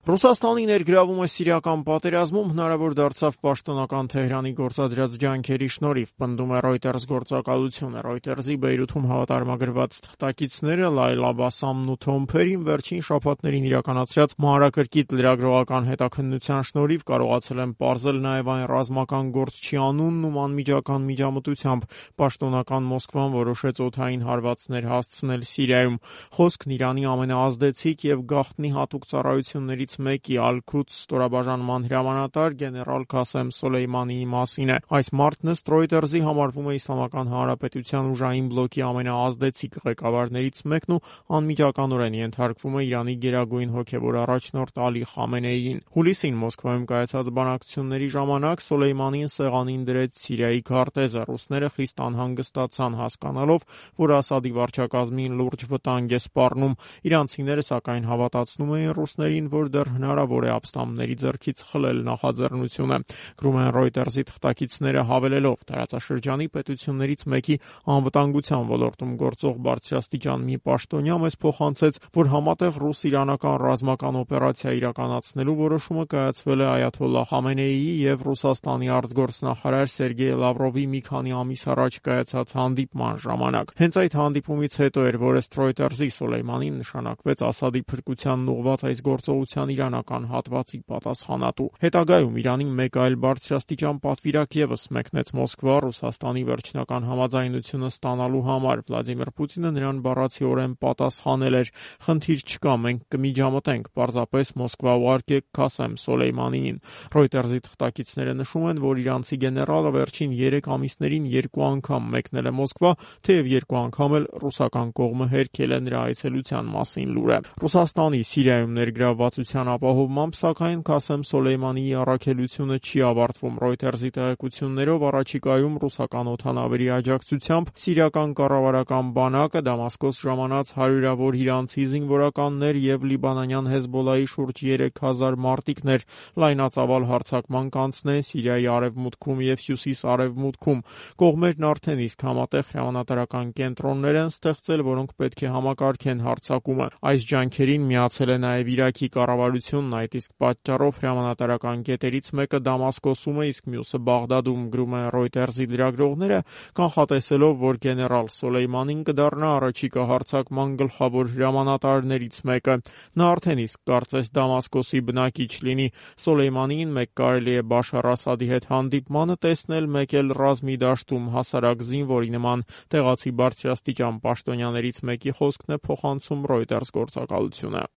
Ռուսաստանի ներգրավումը սիրիական պատերազմում հնարավոր դարձավ պաշտոնական Թեհրանի գործադրած ջանքերի շնորհիվ, պնդում է Reuters գործակալությունը։ Reuters-ի Բեյրութում հավատարմագրված թղթակիցները Լայլա Բասամն ու Թոմ Փերին վերջին շաբաթներին իրականացրած մանրակրկիտ լրագրողական հետաքննության շնորհիվ կարողացել են պարզել նաև այն ռազմական գործչի անունն ու անմիջական միջամտությամբ պաշտոնական Մոսկվան որոշեց օդային հարվածներ հասցնել Սիրիայում։ Խոսքն Իրանի ամենաազդեցիկ եւ գաղտնի հատուկ ծառայություններից մեկի Ալ-Քուդս ստորաբաժանման հրամանատար գեներալ Քասեմ Սոլեյմանիի մասին է։ Այս մարդն ըստ Reuters-ի համարվում է Իսլամական Հանրապետության ուժային բլոկի ամենաազդեցիկ ղեկավարներից մեկն ու անմիջականորեն ենթարկվում է Իրանի գերագույն հոգևոր առաջնորդ Ալի Խամենեիին։ Հուլիսին Մոսկվայում կայացած բանակցությունների ժամանակ Սոլեյմանին սեղանին դրեց Սիրիայի քարտեզը։ Ռուսները խիստ անհանգստացան հասկանալով, որ Ասադի վարչակազմին լուրջ վտանգ է սպառնում։ Իրանցիները սակայն հավատացնում էին ռուսներին, որ դեռ հնարավոր է ապստամբների ձեռքից խլել նախաձեռնությունը։ Գրում են Reuters-ի թղթակիցները հավելելով, տարածաշրջանի պետություններից մեկի անվտանգության ոլորտում գործող բարձրաստիճան մի պաշտոնյա մեզ փոխանցեց, որ համատեղ ռուս-իրանական ռազմական օպերացիա իրականացնելու որոշումը կայացվել է Այաթոլլահ Խամենեիի եւ Ռուսաստանի արտգործնախարար Սերգեյ Լավրովի մի քանի ամիս առաջ կայացած հանդիպման ժամանակ։ Հենց այդ հանդիպումից հետո էր, որ ըստ Reuters-ի Սոլեյմանին նշանակվեց Ասադի փրկությանն ուղղված այս գործողության իրանական հատվածի պատասխանատու։ Հետագայում Իրանին մեկ այլ բարձրաստիճան պատվիրակ ևս մեկնեց Մոսկվա Ռուսաստանի վերջնական համաձայնությունը ստանալու համար։ Վլադիմիր Պուտինը նրան բառացիորեն պատասխանել էր. «Խնդիր չկա, մենք կմիջամտենք, պարզապես Մոսկվա ուղարկեք Քասեմ Սոլեյմանիին»։ Reuters-ի թղթակիցները նշում են, որ իրանցի գեներալը վերջին 3 ամիսներին 2 անգամ մեկնել է Մոսկվա, թեև 2 անգամ էլ ռուսական կողմը հերքել է նրա այցելության մասին լուրը։ Ռուսաստանի Սիրիայում ներգրավվածության ապահովմամբ, սակայն Քասեմ Սոլեյմանիի առաքելությունը չի ավարտվում։ Reuters-ի տեղեկություններով առաջիկայում ռուսական օդանավերի աջակցությամբ սիրիական կառավարական բանակը Դամասկոս ժամանած հարյուրավոր իրանցի զինվորականներ եւ լիբանանյան Հեզբոլլայի շուրջ 3000 մարտիկներ լայնածավալ հարձակման կանցնեն Սիրիայի արևմուտքում եւ հյուսիս-արևմուտքում։ Կողմերն արդեն իսկ համատեղ հրամանատարական կենտրոններ են ստեղծել, որոնք պետք է համակարգեն հարձակումը։ Այս ջանքերին միացել է նաև Իրաքի կառավարությունն, այդ իսկ պատճառով հրամանատարական կետերից մեկը Դամասկոսում է, իսկ մյուսը Բաղդադում, գրում են Reuters-ի լրագրողները, կանխատեսելով, որ գեներալ Սոլեյմանին կդառնա առաջիկա հարձակման գլխավոր հրամանատարներից մեկը։ Նա արդեն իսկ կարծես Դամասկոսի բնակիչ լինի։ Սոլեյմանին մեկ կարելի է Բաշար Ասադի հետ հանդիպմանը տեսնել մեկ էլ ռազմի դաշտում հասարակ զինվորի նման։ Տեղացի բարձրաստիճան պաշտոնյաներից մեկի խոսքն է փոխանցում Reuters գործակալությունը։